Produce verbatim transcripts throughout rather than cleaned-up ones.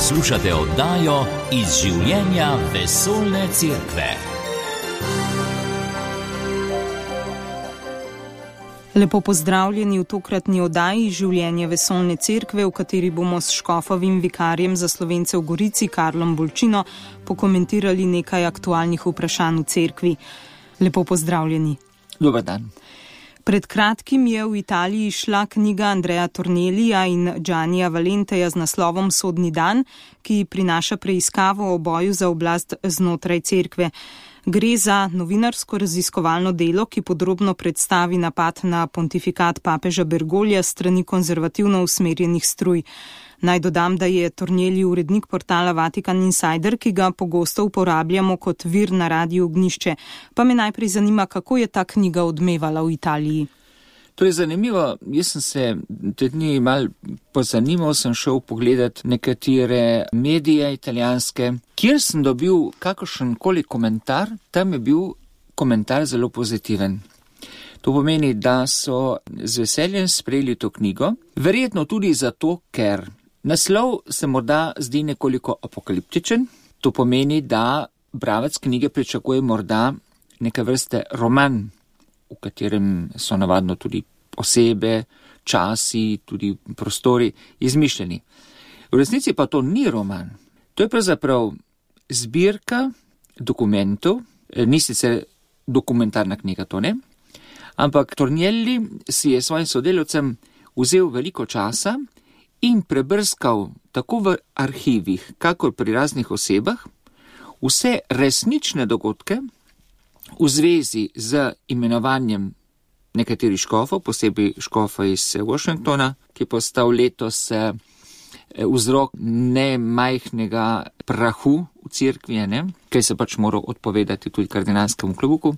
Poslušate oddajo Iz življenja vesoljne cerkve. Lepo pozdravljeni v tokratni oddaji Življenje vesoljne cerkve, v kateri bomo s škofovim vikarjem za Slovence v Gorici, Karlom Bolčino, pokomentirali nekaj aktualnih vprašanj v cerkvi. Lepo pozdravljeni. Dober dan. Pred kratkim je v Italiji šla knjiga Andreja Tornellija in Giannija Valenteja z naslovom Sodni dan, ki prinaša preiskavo o boju za oblast znotraj cerkve. Gre za novinarsko raziskovalno delo, ki podrobno predstavi napad na pontifikat papeža Bergoglja s strani konzervativno usmerjenih struj. Naj dodam, da je Tornelli urednik portala Vatikan Insider, ki ga pogosto uporabljamo kot vir na Radiu Ognjišče. Pa me najprej zanima, kako je ta knjiga odmevala v Italiji. To je zanimivo. Jaz sem se te dni mal pozanimal, sem šel pogledat nekatere medije italijanske, kjer sem dobil kakršenkoli komentar, tam je bil komentar zelo pozitiven. To pomeni, da so z veseljem sprejeli to knjigo, verjetno tudi zato, ker naslov se morda zdi nekoliko apokaliptičen. To pomeni, da bralec knjige pričakuje morda neke vrste roman, v katerem so navadno tudi osebe, časi, tudi prostori izmišljeni. V resnici pa to ni roman. To je pravzaprav zbirka dokumentov, ni sicer dokumentarna knjiga, to ne, ampak Tornelli si je svojim sodelavcem vzel veliko časa in prebrskal tako v arhivih, kakor pri raznih osebah, vse resnične dogodke v zvezi z imenovanjem nekaterih škofov, posebej škofa iz Washingtona, ki je postal letos vzrok nemajhnega prahu v cerkvi, ne? Kaj se pač moral odpovedati tudi kardinalskemu klobuku.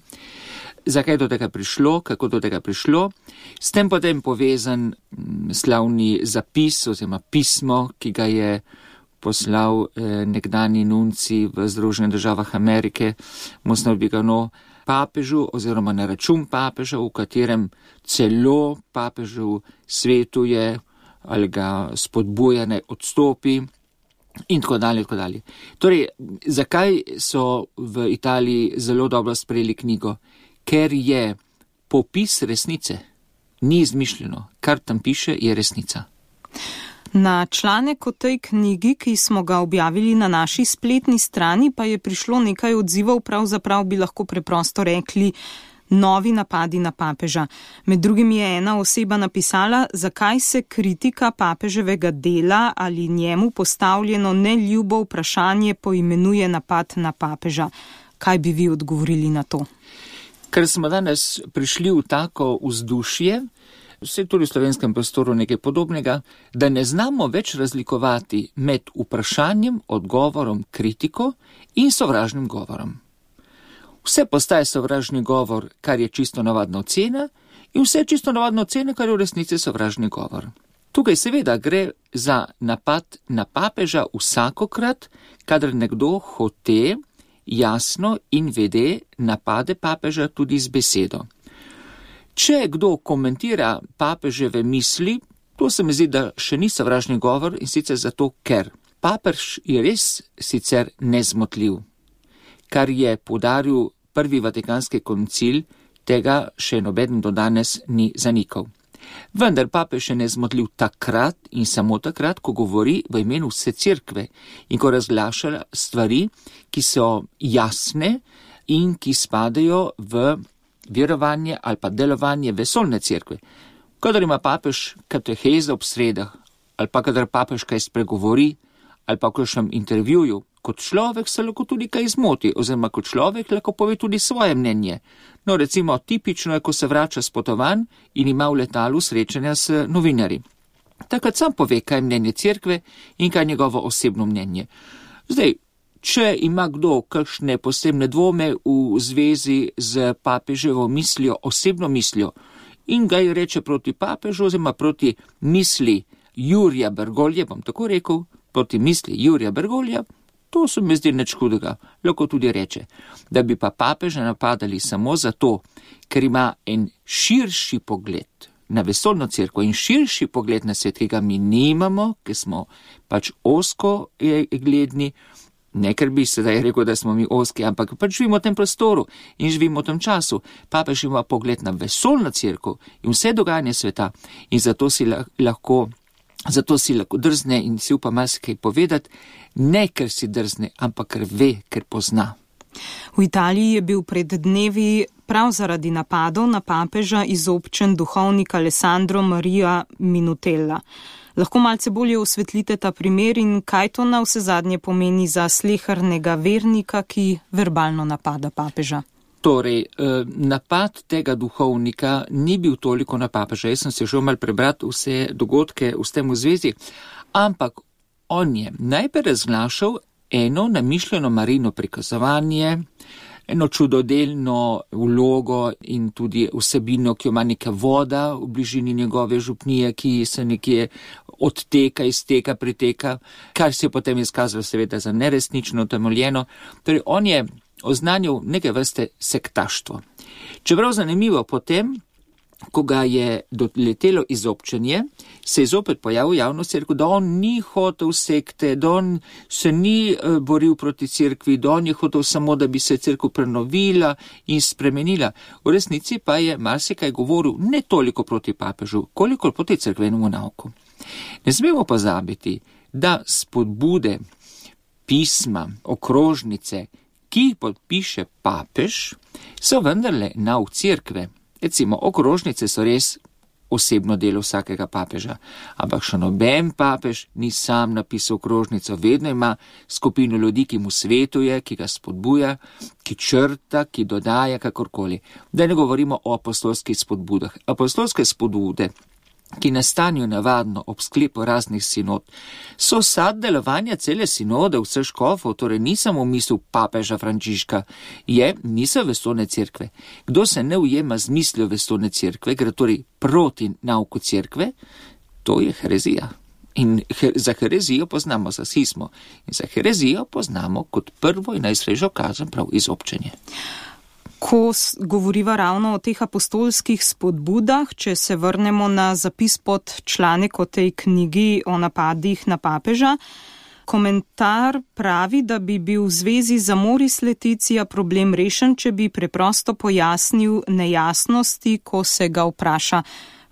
Zakaj do tega prišlo, kako do tega prišlo. S tem potem povezan slavni zapis oziroma pismo, ki ga je poslal nekdani nunci v Združenih državah Amerike, Monsignor Vigano, papežu oziroma na račun papeža, v katerem celo papežu svetuje ali ga spodbuja, naj odstopi in tako dalje, tako dalje. Torej, zakaj so v Italiji zelo dobro sprejeli knjigo? Ker je popis resnice, ni izmišljeno, kar tam piše, je resnica. Na članek o tej knjigi, ki smo ga objavili na naši spletni strani, pa je prišlo nekaj odzivov, pravzaprav bi lahko preprosto rekli novi napadi na papeža. Med drugim je ena oseba napisala, zakaj se kritika papeževega dela ali njemu postavljeno neljubo vprašanje poimenuje napad na papeža. Kaj bi vi odgovorili na to? Ker smo danes prišli v tako vzdušje, vse tudi v slovenskem prostoru nekaj podobnega, da ne znamo več razlikovati med vprašanjem, odgovorom, kritiko in sovražnim govorom. Vse postaje sovražni govor, kar je čisto navadna ocena, in vse čisto navadna ocena, kar je v resnici sovražni govor. Tukaj seveda gre za napad na papeža vsakokrat, kadar nekdo hote jasno in vede napade papeža tudi z besedo. Če kdo komentira papeževe misli, to se mi zdi, da še ni sovražni govor, in sicer zato, ker papež je res sicer nezmotljiv. Kar je poudaril prvi vatikanski koncil, tega še nobeden do danes ni zanikal. Vendar papež je nezmotljiv takrat in samo takrat, ko govori v imenu vse cerkve in ko razglaša stvari, ki so jasne in ki spadajo v verovanje ali pa delovanje vesoljne cerkve. Kadar ima papež kateheze ob sredah, ali pa kadar papež kaj spregovori, ali pa v kakšnem intervjuju, kot človek se lahko tudi kaj zmoti, oziroma kot človek lahko pove tudi svoje mnenje. No, recimo, tipično je, ko se vrača s potovanj in ima v letalu srečanja s novinarji. Takrat sam pove, kaj je mnenje cerkve in kaj je njegovo osebno mnenje. Zdaj, če ima kdo kakšne posebne dvome v zvezi z papeževo mislijo, osebno mislijo, in ga reče proti papežu, oziroma proti misli Jurija Bergoglja, bom tako rekel, proti misli Jurija Bergoglja, to se mi zdi nič hudega. Lahko tudi reče, da bi pa papeža napadali samo zato, ker ima en širši pogled, na vesoljno cerkev in širši pogled na svet, ki ga mi nimamo, ki smo pač ozko gledni, ne ker bi sedaj rekel, da smo mi ozki, ampak pač živimo v tem prostoru in živimo v tem času. Papež ima pogled na vesoljno cerkev in vse dogajanje sveta in zato si lahko, zato si lahko drzne in si upa marsikaj povedati, ne ker si drzne, ampak ker ve, ker pozna. V Italiji je bil pred dnevi prav zaradi napadov na papeža izobčen duhovnik Alessandro Maria Minutella. Lahko malce bolje osvetlite ta primer in kaj to na vse zadnje pomeni za slehernega vernika, ki verbalno napada papeža? Torej, napad tega duhovnika ni bil toliko na papeža. Jaz sem se želel mal prebrati vse dogodke v tem v zvezi, ampak on je najprej razglašal eno namišljeno Marijino prikazovanje, eno čudodelno vlogo in tudi vsebino, ki jo ima neka voda v bližini njegove župnije, ki se nekje odteka, izteka, priteka, kar se je potem izkazalo seveda za neresnično utemeljeno. Torej, on je oznanil neke vrste sektaštvo. Čeprav zanimivo, potem, ko ga je doletelo izobčenje, se je zopet pojavil v javnosti, rekel, da on ni hotel sekte, da on se ni boril proti cerkvi, da on je hotel samo, da bi se cerkev prenovila in spremenila. V resnici pa je marsikaj govoril ne toliko proti papežu, koliko proti cerkvenemu nauku. Ne smemo pozabiti, da spodbude, pisma, okrožnice, ki jih podpiše papež, so vendarle nauk cerkve. Recimo, okrožnice so res osebno delo vsakega papeža, ampak še noben papež ni sam napisal okrožnico, vedno ima skupino ljudi, ki mu svetuje, ki ga spodbuja, ki črta, ki dodaja kakorkoli. Da ne govorimo o apostolskih spodbudah. Apostolske spodbude, ki nastanejo navadno ob sklepu raznih sinod, so sad delovanja cele sinode vseh škofov, torej ni samo misel papeža Frančiška, je misel vesoljne cerkve. Kdo se ne ujema z mislijo vesoljne cerkve, gre torej proti nauku cerkve, to je herezija. In her, za herezijo poznamo za schismo in za herezijo poznamo kot prvo in najsrežjo kazen prav izobčenje. Ko govoriva ravno o teh apostolskih spodbudah, če se vrnemo na zapis pod članek o tej knjigi o napadih na papeža, komentar pravi, da bi bil v zvezi z Amoris Laetitia problem rešen, če bi preprosto pojasnil nejasnosti, ko se ga vpraša.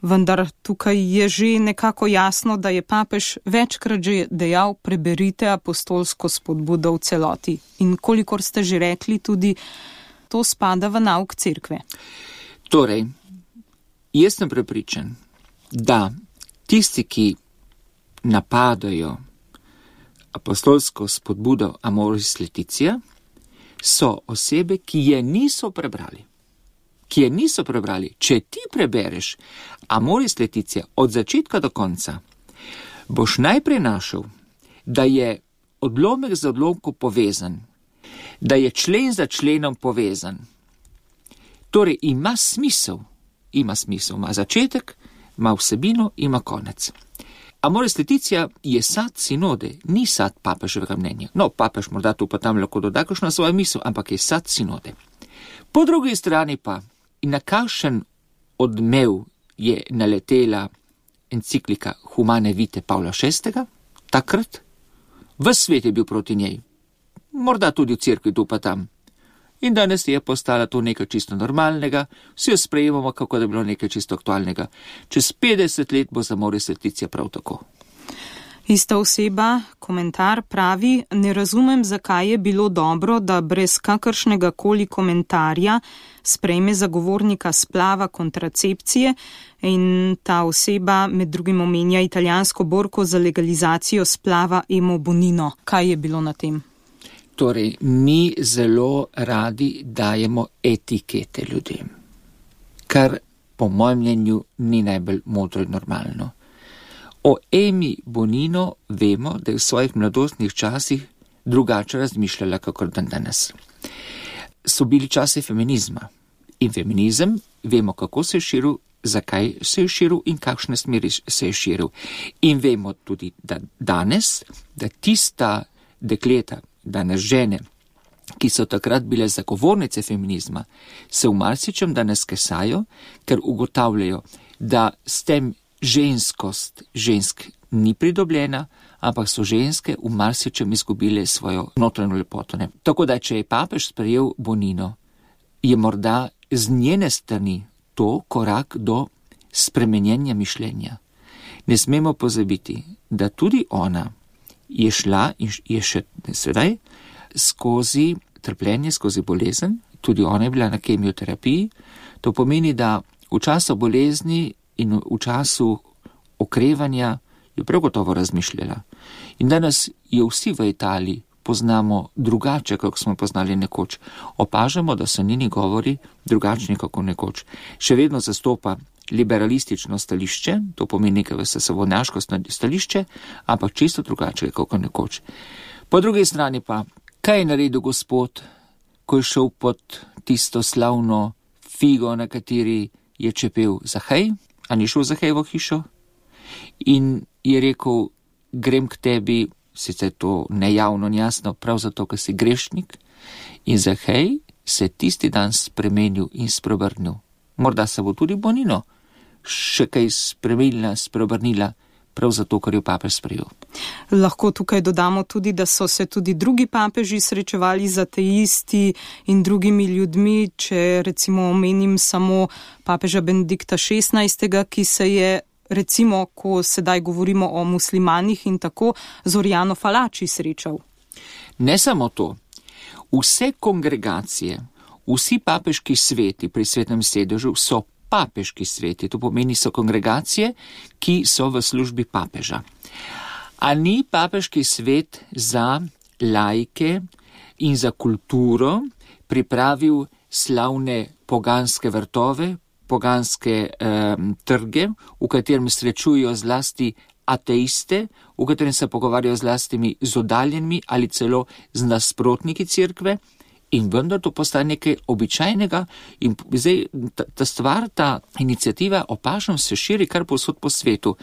Vendar tukaj je že nekako jasno, da je papež večkrat že dejal, preberite apostolsko spodbudo v celoti. In kolikor ste že rekli, tudi to spada v nauk cerkve. Torej, jaz sem prepričan, da tisti, ki napadajo apostolsko spodbudo Amoris Laetitia, so osebe, ki je niso prebrali. Ki je niso prebrali. Če ti prebereš Amoris Laetitia od začetka do konca, boš najprej našel, da je odlomek z odlomkom povezan, da je člen za členom povezan. Torej, ima smisel, ima smisel, ima začetek, ima vsebino, ima konec. Amoris Laetitia je sad sinode, ni sad papeževega mnenja. No, papež morda tu pa tam lahko doda kakšno svojo misel, ampak je sad sinode. Po drugi strani pa, na kakšen odmev je naletela enciklika Humane Vitae Pavla šestega, takrat, ves svet je bil proti njej. Morda tudi v cerkvi tu pa tam. In danes je postala to nekaj čisto normalnega, vsi jo sprejemamo, kako da je bilo nekaj čisto aktualnega. Čez petdeset let bo za Amoris Laetitia prav tako. Ista oseba, komentar, pravi, ne razumem, zakaj je bilo dobro, da brez kakršnega koli komentarja sprejme zagovornika splava kontracepcije in ta oseba med drugim omenja italijansko borko za legalizacijo splava Emo Bonino. Kaj je bilo na tem? Torej, mi zelo radi dajemo etikete ljudem, kar po mojem mnenju ni najbolj modro in normalno. O Emi Bonino vemo, da je v svojih mladostnih časih drugače razmišljala kakor dan danes. So bili časi feminizma in feminizem vemo, kako se je širil, zakaj se je širil in kakšne smeri se je širil. In vemo tudi, da danes, da tista dekleta, danes žene, ki so takrat bile zagovornice feminizma, se v marsičem danes kesajo, ker ugotavljajo, da s tem ženskost žensk ni pridobljena, ampak so ženske v marsičem izgubile svojo notranjo lepoto. Ne? Tako da, če je papež sprejel Bonino, je morda z njene strani to korak do spremenjenja mišljenja. Ne smemo pozabiti, da tudi ona je šla in je še sedaj skozi trpljenje, skozi bolezen, tudi ona je bila na kemioterapiji. To pomeni, da v času bolezni in v času okrevanja je prav gotovo razmišljala. In danes jo vsi v Italiji poznamo drugače, kako smo poznali nekoč. Opažamo, da so njeni govori drugačni kako nekoč. Še vedno zastopa liberalistično stališče, to pomeni nekaj svobodnjaško stališče, ampak čisto drugače kako nekoč. Po drugi strani pa, kaj je naredil Gospod, ko je šel pod tisto slavno figo, na kateri je čepel Zahej, a ni šel Zahej v hišo? In je rekel, grem k tebi, sicer to nejavno, jasno, prav zato, ker si grešnik. In Zahej se tisti dan spremenil in spreobrnil. Morda se bo tudi Bonino še kaj spremenila, spreobrnila, prav zato, ker je papež sprejel. Lahko tukaj dodamo tudi, da so se tudi drugi papeži srečevali z ateisti in drugimi ljudmi, če recimo omenim samo papeža Benedikta šestnajstega, ki se je recimo, ko sedaj govorimo o muslimanih in tako, z Oriano Falači srečal. Ne samo to. Vse kongregacije, vsi papeški sveti pri Svetem sedežu so papeški sveti. To pomeni, so kongregacije, ki so v službi papeža. A ni papeški svet za laike in za kulturo pripravil slavne poganske vrtove, poganske eh, trge, v katerem srečujo zlasti ateiste, v katerem se pogovarjajo z lastimi z oddaljenimi ali celo z nasprotniki cerkve, in vendar to postane nekaj običajnega in zdaj ta, ta stvar, ta iniciativa opažam se širi kar povsod po svetu.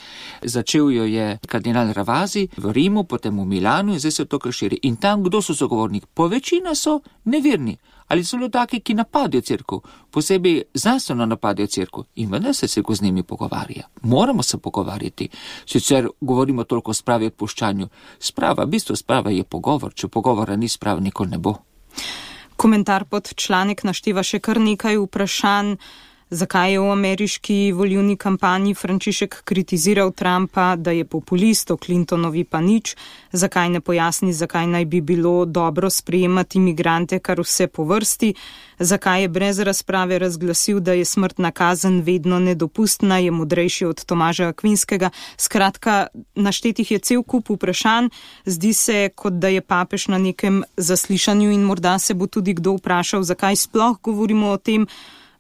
Začel jo je kardinal Ravasi v Rimu, potem v Milanu in zdaj se to kar širi. In tam, kdo so zagovorniki? Po večina so neverni ali so taki, ki napadajo cerkev, posebej znanstveno napadajo cerkev, in vendar se cerkev z njimi pogovarja. Moramo se pogovarjati. Sicer govorimo toliko o spravi odpuščanju. Sprava, v bistvu sprava je pogovor. Če pogovora ni, sprava nikoli ne bo. Komentar pod članek našteva še kar nekaj vprašanj. Zakaj je v ameriški volilni kampanji Frančišek kritiziral Trumpa, da je populist, o Clintonovi pa nič? Zakaj ne pojasni, zakaj naj bi bilo dobro sprejemati migrante kar vse po vrsti? Zakaj je brez razprave razglasil, da je smrtna kazen vedno nedopustna, je modrejši od Tomaža Akvinskega? Skratka, naštetih je cel kup vprašanj. Zdi se, kot da je papež na nekem zaslišanju in morda se bo tudi kdo vprašal, zakaj sploh govorimo o tem.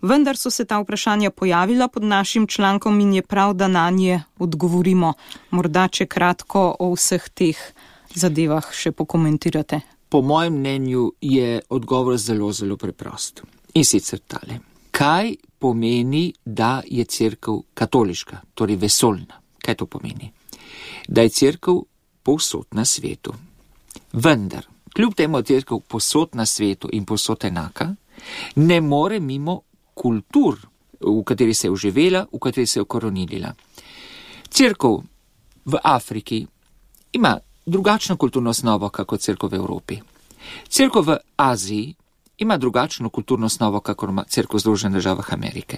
Vendar so se ta vprašanja pojavila pod našim člankom in je prav, da na nje odgovorimo. Morda, če kratko o vseh teh zadevah še pokomentirate. Po mojem mnenju je odgovor zelo, zelo preprost. In sicer tale. Kaj pomeni, da je cerkev katoliška, torej vesoljna? Kaj to pomeni? Da je cerkev povsod na svetu. Vendar, kljub temu je cerkev povsod na svetu in povsod enaka, ne more mimo kultur, v kateri se je uživela, v kateri se je ukoronilila. Cerkev v Afriki ima drugačno kulturno osnovo, kako cerkev v Evropi. Cerkev v Aziji ima drugačno kulturno osnovo, kako cerkev v Združenih državah Amerike.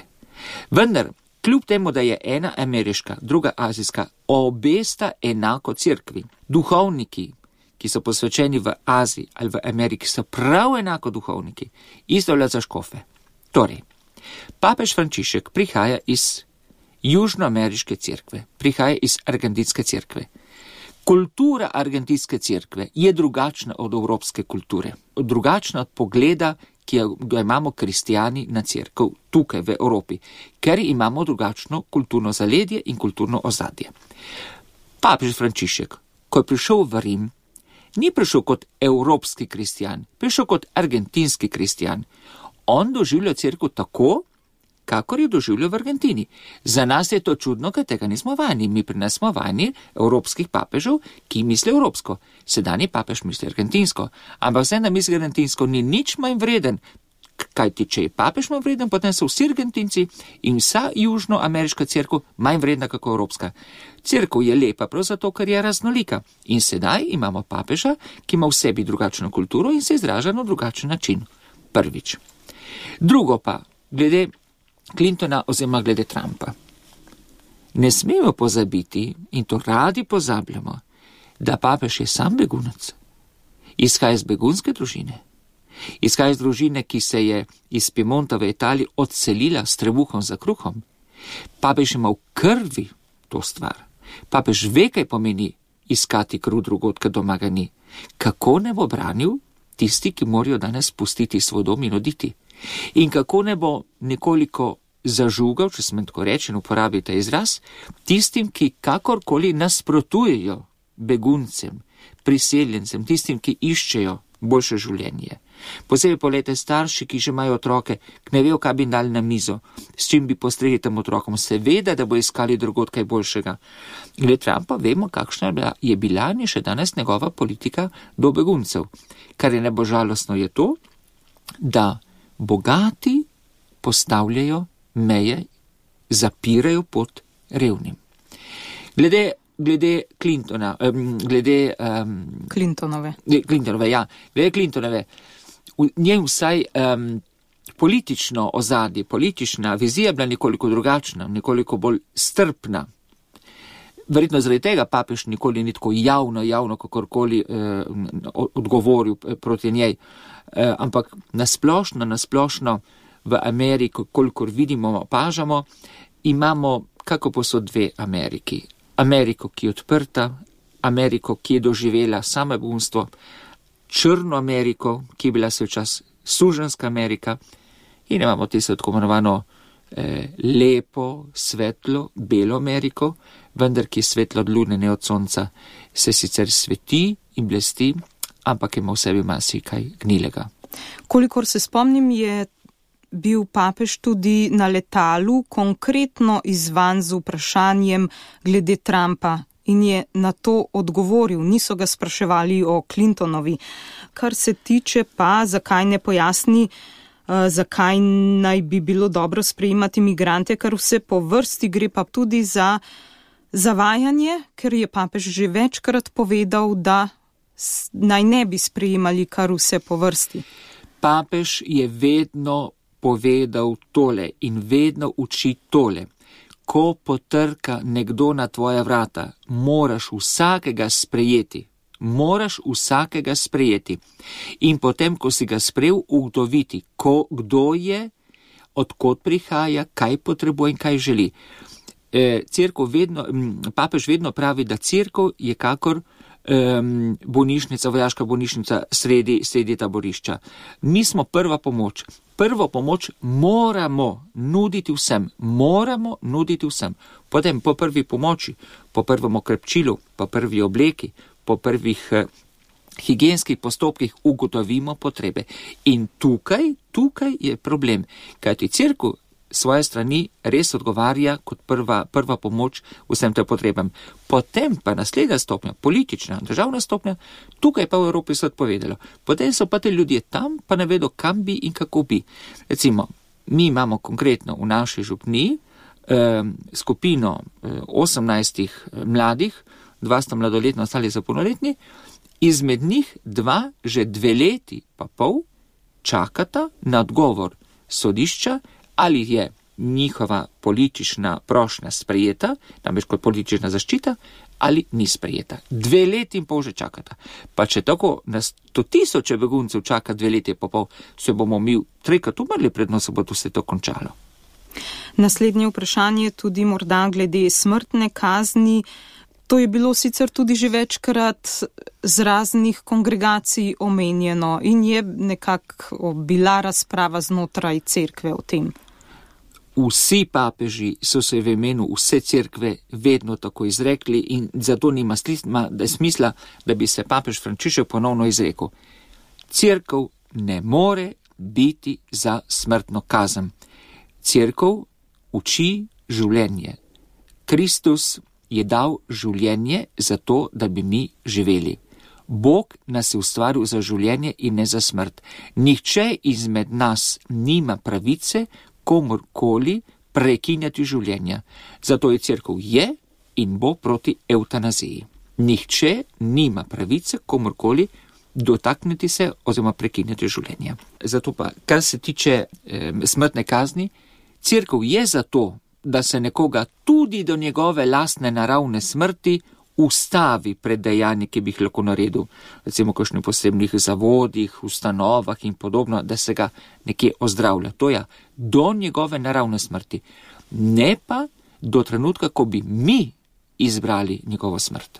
Vendar, kljub temu, da je ena ameriška, druga azijska, obe sta enako cerkvi. Duhovniki, ki so posvečeni v Aziji ali v Ameriki, so prav enako duhovniki. Isto velja za škofe. Torej, papež Frančišek prihaja iz južnoameriške cerkve, prihaja iz argentinske cerkve. Kultura argentinske cerkve je drugačna od evropske kulture, drugačna od pogleda, ki ga imamo kristijani na cerkev tukaj v Evropi, ker imamo drugačno kulturno zaledje in kulturno ozadje. Papež Frančišek, ko je prišel v Rim, ni prišel kot evropski kristijan, prišel kot argentinski kristijan. On doživlja cerkev tako, kakor je doživljal v Argentini. Za nas je to čudno, ker tega nismo vajeni. Mi pri nas smo vajeni evropskih papežev, ki misli evropsko. Sedanji papež misli argentinsko. Ampak vse na misli argentinsko ni nič manj vreden, Kajti, če je papež manj vreden, potem so vsi Argentinci in vsa južnoameriška cerkev manj vredna kako evropska. Cerkev je lepa prav zato, ker je raznolika. In sedaj imamo papeža, ki ima v sebi drugačno kulturo in se izraža na drugačen način. Prvič. Drugo pa, glede Clintona oziroma glede Trumpa. Ne smemo pozabiti, in to radi pozabljamo, da papež je sam begunec. Izhaja iz begunske družine. Izhaja iz družine, ki se je iz Piemonta v Italiji odselila s trebuhom za kruhom. Papež ima v krvi to stvar. Papež ve, kaj pomeni iskati kruh drugod, kad doma ga ni. Kako ne bo branil tisti, ki morajo danes pustiti svoj dom in oditi? In kako ne bo nekoliko zažugal, če sem tako rečen, uporabi ta izraz, tistim, ki kakorkoli nasprotujejo beguncem, priseljencem, tistim, ki iščejo boljše življenje. Posebej polete starši, ki že imajo otroke, ki ne vejo, kaj bi dali na mizo, s čim bi postregli tem otrokom, seveda, da bo iskali drugod kaj boljšega. Glede Trumpa vemo, kakšna je bila in še danes njegova politika do beguncev. Kar je najbolj žalostno je to, da bogati postavljajo meje, zapirajo pot revnim. Glede Glede Clintona, um, glede... Um, Clintonove. Clintonove, ja. Glede Clintonove, v njej vsaj um, politično ozadje, politična vizija bila nekoliko drugačna, nekoliko bolj strpna. Verjetno zaradi tega papež nikoli ni tako javno, javno kakorkoli eh, odgovoril proti njej. Eh, ampak nasplošno, nasplošno v Ameriki, kolikor vidimo, opažamo, imamo kako posod dve Ameriki. Ameriko, ki je odprta, Ameriko, ki je doživela samo begunstvo, črno Ameriko, ki je bila se včas suženska Amerika, in imamo tisto tako imenovano eh, lepo, svetlo, belo Ameriko, vendar ki je svetlo od lune, ne od sonca, se sicer sveti in blesti, ampak ima v sebi marsikaj gnilega. Kolikor se spomnim, je bil papež tudi na letalu konkretno izzvan z vprašanjem glede Trumpa in je na to odgovoril. Niso ga spraševali o Clintonovi. Kar se tiče pa, zakaj ne pojasni, uh, zakaj naj bi bilo dobro sprejemati migrante, kar vse po vrsti gre pa tudi za zavajanje, ker je papež že večkrat povedal, da naj ne bi sprejemali kar vse po vrsti. Papež je vedno povedal tole in vedno uči tole. Ko potrka nekdo na tvoja vrata, moraš vsakega sprejeti. Moraš vsakega sprejeti. In potem, ko si ga sprejel, ugotoviti, ko, kdo je, odkot prihaja, kaj potrebuje in kaj želi. E, cerkev vedno, papež vedno pravi, da cerkev je kakor um, bolnišnica, vojaška bolnišnica sredi, sredi taborišča. Mi smo prva pomoč. Prvo pomoč moramo nuditi vsem, moramo nuditi vsem. Potem po prvi pomoči, po prvem okrepčilu, po prvi obleki, po prvih eh, higienskih postopkih ugotovimo potrebe. In tukaj, tukaj je problem, kajti cerkev svoje strani res odgovarja kot prva, prva pomoč vsem tem potrebam. Potem pa naslednja stopnja, politična, državna stopnja, tukaj pa v Evropi so odpovedalo. Potem so pa te ljudje tam, pa ne vedo, kam bi in kako bi. Recimo, mi imamo konkretno v naši župniji eh, skupino eh, osemnajstih mladih, dva sta mladoletna, ostali so polnoletni, izmed njih dva že dve leti pa pol čakata na odgovor sodišča, ali je njihova politična prošnja sprejeta, namreč kot politična zaščita, ali ni sprejeta. Dve leti in pol že čakata. Pa če tako na sto tisoče beguncev čaka dve leti in pol, se bomo mi trikrat umrli, predno se bo vse to končalo. Naslednje vprašanje tudi morda glede smrtne kazni. To je bilo sicer tudi že večkrat z raznih kongregacij omenjeno in je nekako bila razprava znotraj cerkve o tem. Vsi papeži so se v imenu vse cerkve vedno tako izrekli in zato nima smisla, da bi se papež Frančišek ponovno izrekel. Cerkev ne more biti za smrtno kazen. Cerkev uči življenje. Kristus je dal življenje za to, da bi mi živeli. Bog nas je ustvaril za življenje in ne za smrt. Nihče izmed nas nima pravice komorkoli prekinjati življenja. Zato je cerkev je in bo proti eutanaziji. Nihče nima pravice komorkoli dotakniti se oziroma prekinjati življenja. Zato pa, kar se tiče eh, smrtne kazni, cerkev je zato, da se nekoga tudi do njegove lastne naravne smrti ustavi pred dejanji, ki bi jih lahko naredil, recimo v kakšnih posebnih zavodih, ustanovah in podobno, da se ga nekje ozdravlja. To je do njegove naravne smrti, ne pa do trenutka, ko bi mi izbrali njegovo smrt.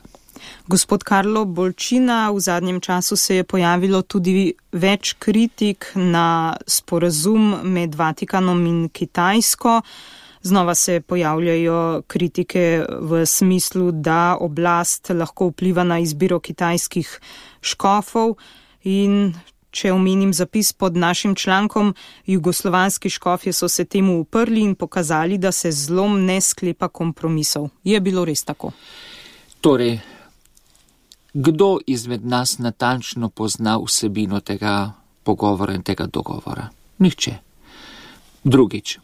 Gospod Karlo Bolčina, v zadnjem času se je pojavilo tudi več kritik na sporazum med Vatikanom in Kitajsko. Znova se pojavljajo kritike v smislu, da oblast lahko vpliva na izbiro kitajskih škofov in če omenim zapis pod našim člankom, jugoslovanski škofje so se temu uprli in pokazali, da se zlom ne sklepa kompromisov. Je bilo res tako? Torej, kdo izmed nas natančno pozna vsebino tega pogovora in tega dogovora? Nihče. Drugič.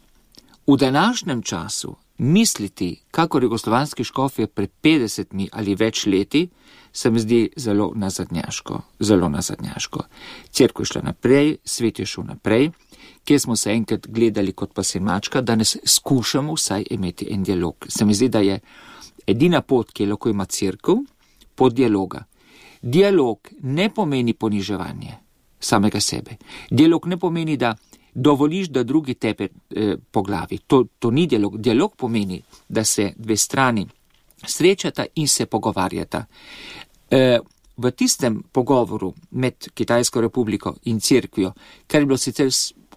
V današnjem času misliti, kakor jugoslovanski škofje pred petdesetimi ali več leti, se mi zdi zelo nazadnjaško, zelo nazadnjaško. Cerkev je šla naprej, svet je šel naprej, kjer smo se enkrat gledali kot pas in mačka, danes skušamo vsaj imeti en dialog. Se mi zdi, da je edina pot, ki lahko ima cerkev, pot dialoga. Dialog ne pomeni poniževanje samega sebe. Dialog ne pomeni, da dovoliš, da drugi tepe eh, po glavi. To, to ni dialog. Dialog pomeni, da se dve strani srečata in se pogovarjata. E, v tistem pogovoru med Kitajsko republiko in cerkvijo, kar je bilo sicer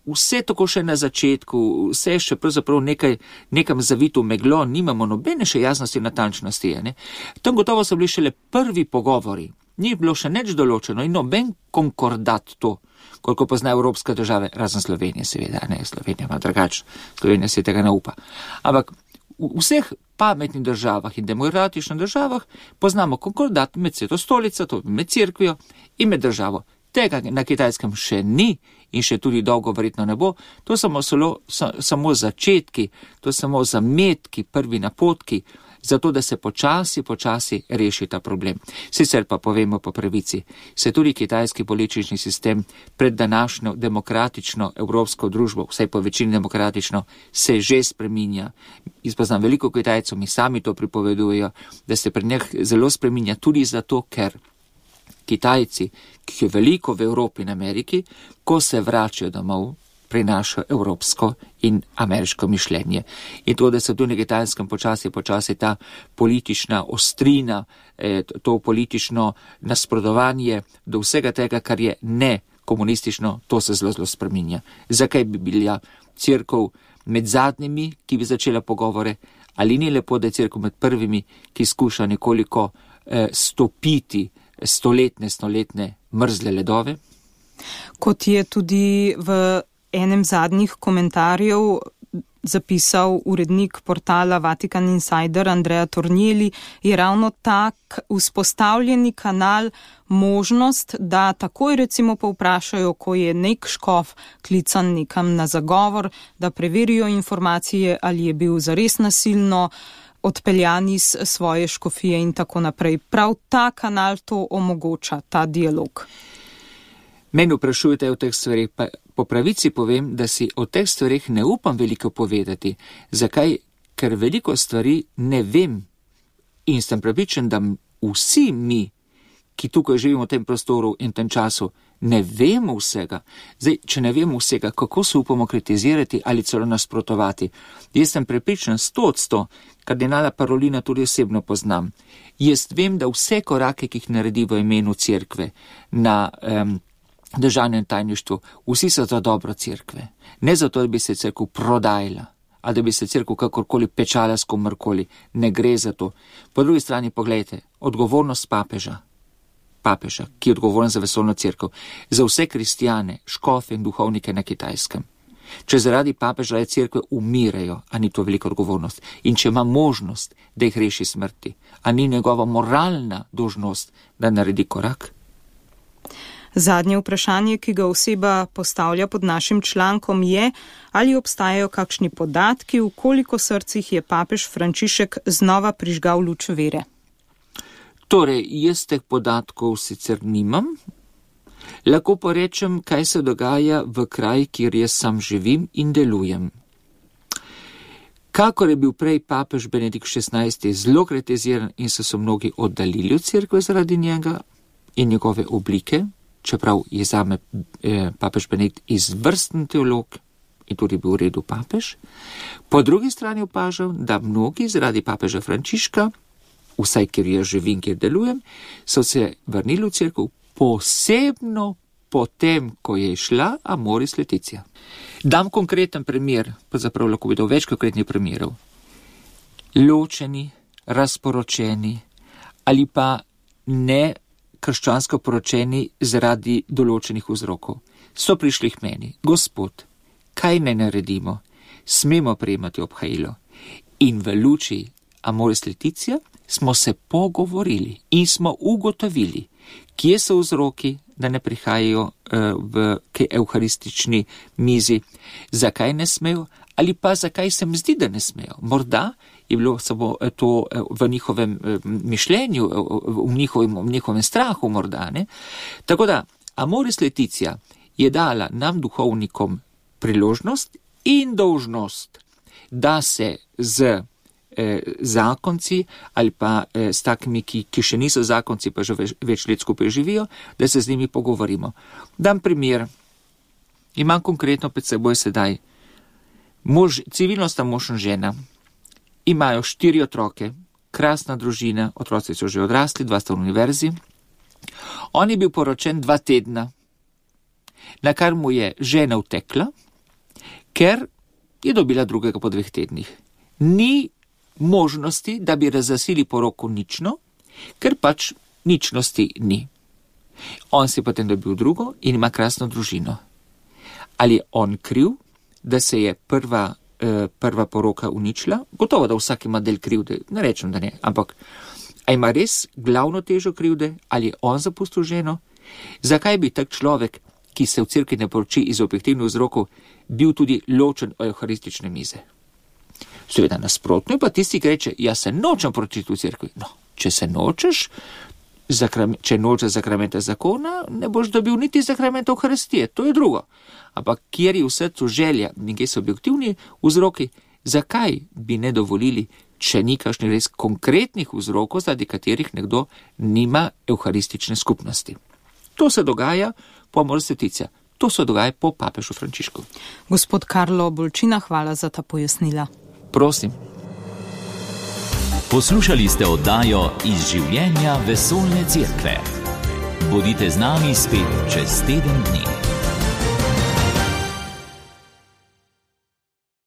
vse tako še na začetku, vse še pravzaprav nekaj, nekam zavito meglo, nimamo nobene še jasnosti in natančnosti. Ne? Tam gotovo so bili šele prvi pogovori. Ni bilo še nič določeno in noben konkordat to, koliko pozna evropske države, razen Slovenije seveda, ne, Slovenija ima drugače, Slovenija se tega ne upa. Ampak v vseh pametnih državah in demokratičnih državah poznamo konkordat med Sveto stolico, to med cerkvijo in med državo. Tega na Kitajskem še ni in še tudi dolgo verjetno ne bo. To samo, solo, sa, samo začetki, to samo zametki, prvi napotki, zato da se počasi, počasi reši ta problem. Sicer pa povemo po pravici, se tudi kitajski politični sistem pred današnjo demokratično evropsko družbo, vsaj po večini demokratično, se že spreminja. Jaz poznam veliko Kitajcev, mi sami to pripovedujejo, da se pred njih zelo spreminja tudi zato, ker Kitajci, ki je veliko v Evropi in Ameriki, ko se vračajo domov, prinašajo evropsko in ameriško mišljenje. In to, da se tudi na Kitajskem počasi, počasi ta politična ostrina, to politično nasprotovanje do vsega tega, kar je ne komunistično, to se zelo, zelo spreminja. Zakaj bi bila cerkev med zadnjimi, ki bi začela pogovore, ali ni lepo, da je cerkev med prvimi, ki skuša nekoliko eh, stopiti stoletne, stoletne mrzle ledove? Kot je tudi v enem zadnjih komentarjev zapisal urednik portala Vatican Insider Andrea Tornielli, je ravno tak vzpostavljeni kanal možnost, da takoj recimo povprašajo, ko je nek škof klican nekam na zagovor, da preverijo informacije, ali je bil zares nasilno odpeljan iz svoje škofije in tako naprej. Prav ta kanal to omogoča, ta dialog. Meni vprašujete o teh stvarih, pa po pravici povem, da si o teh stvarih ne upam veliko povedati. Zakaj? Ker veliko stvari ne vem in sem prepričan, da vsi mi, ki tukaj živimo v tem prostoru in tem času, ne vemo vsega. Zdaj, če ne vemo vsega, kako se upamo kritizirati ali celo nasprotovati? Jaz sem prepričan sto odsto, kardinala Parolina tudi osebno poznam. Jaz vem, da vse korake, ki jih naredi v imenu cerkve na um, državnem tajništvu, vsi so za dobro cerkve. Ne zato, da bi se cerkev prodajala, ali da bi se cerkev kakorkoli pečala s komorkoli. Ne gre za to. Po drugi strani pogledajte, odgovornost papeža, papeža, ki je odgovoren za vesoljno cerkev, za vse kristijane, škofe in duhovnike na Kitajskem. Če zaradi papežove cerkve umirajo, a ni to velika odgovornost? In če ima možnost, da jih reši smrti, a ni njegova moralna dolžnost, da naredi korak? Zadnje vprašanje, ki ga oseba postavlja pod našim člankom, je, ali obstajajo kakšni podatki, v koliko srcih je papež Frančišek znova prižgal luč vere. Torej, jaz teh podatkov sicer nimam, lahko pa rečem, kaj se dogaja v kraju, kjer jaz sam živim in delujem. Kakor je bil prej papež Benedikt šestnajsti zelo kritiziran in so se mnogi oddaljili od cerkve zaradi njega in njegove oblike, čeprav je zame eh, papež Benedikt izvrsten teolog in tudi bil v redu papež, po drugi strani opažam, da mnogi zaradi papeža Frančiška, vsaj kjer jaz živim, kjer delujem, so se vrnili v cerkev posebno potem, ko je šla Amoris Laetitia. Dam konkreten primer, pa zaprav lahko bi dal več konkretnih primerov. Ločeni, razporočeni ali pa ne krščansko poročeni zaradi določenih vzrokov. So prišli k meni, Gospod, kaj ne naredimo? Smemo prejemati obhajilo. In v luči Amoris Laetitia smo se pogovorili in smo ugotovili, kje so vzroki, da ne prihajajo uh, v k evharistični mizi, zakaj ne smejo, ali pa zakaj se mi zdi, da ne smejo. Morda je bilo samo to v njihovem mišljenju, v njihovem, v njihovem strahu morda, ne. Tako da Amoris Laetitia je dala nam duhovnikom priložnost in dolžnost, da se z eh, zakonci ali pa eh, s takimi, ki, ki še niso zakonci, pa že več, več let skupaj živijo, da se z njimi pogovorimo. Dam primer. Imam konkretno pred seboj sedaj mož, civilno sta mož in žena. Imajo štiri otroke, krasna družina, otroci so že odrasli, dva sta v univerzi. On je bil poročen dva tedna, na kar mu je žena utekla, ker je dobila drugega po dveh tednih. Ni možnosti, da bi razglasili poroko nično, ker pač ničnosti ni. On si potem dobil drugo in ima krasno družino. Ali je on kriv, da se je prva, eh, prva poroka uničila? Gotovo, da vsak ima del krivde, ne rečem, da ne, ampak a ima res glavno težo krivde, ali je on zapustil ženo? Zakaj bi tak človek, ki se v cerkvi ne poroči iz objektivnih vzrokov, bil tudi ločen od evharistične mize? Seveda nasprotno, pa tisti, ki reče, jaz se nočem poročiti v cerkvi. No, če se nočeš, zakrame, če nočeš zakramenta zakona, ne boš dobil niti zakramenta evharistije, to je drugo. Ampak kjer je v srcu želja, nekaj so objektivni vzroki, zakaj bi ne dovolili, če ni kakšnih res konkretnih vzrokov, zaradi katerih nekdo nima evharistične skupnosti. To se dogaja po Amoris Laetitia, to se dogaja po papežu Frančišku. Gospod Karlo Bolčina, hvala za ta pojasnila. Prosim. Poslušali ste oddajo Iz življenja vesoljne cerkve. Bodite z nami spet čez teden dni.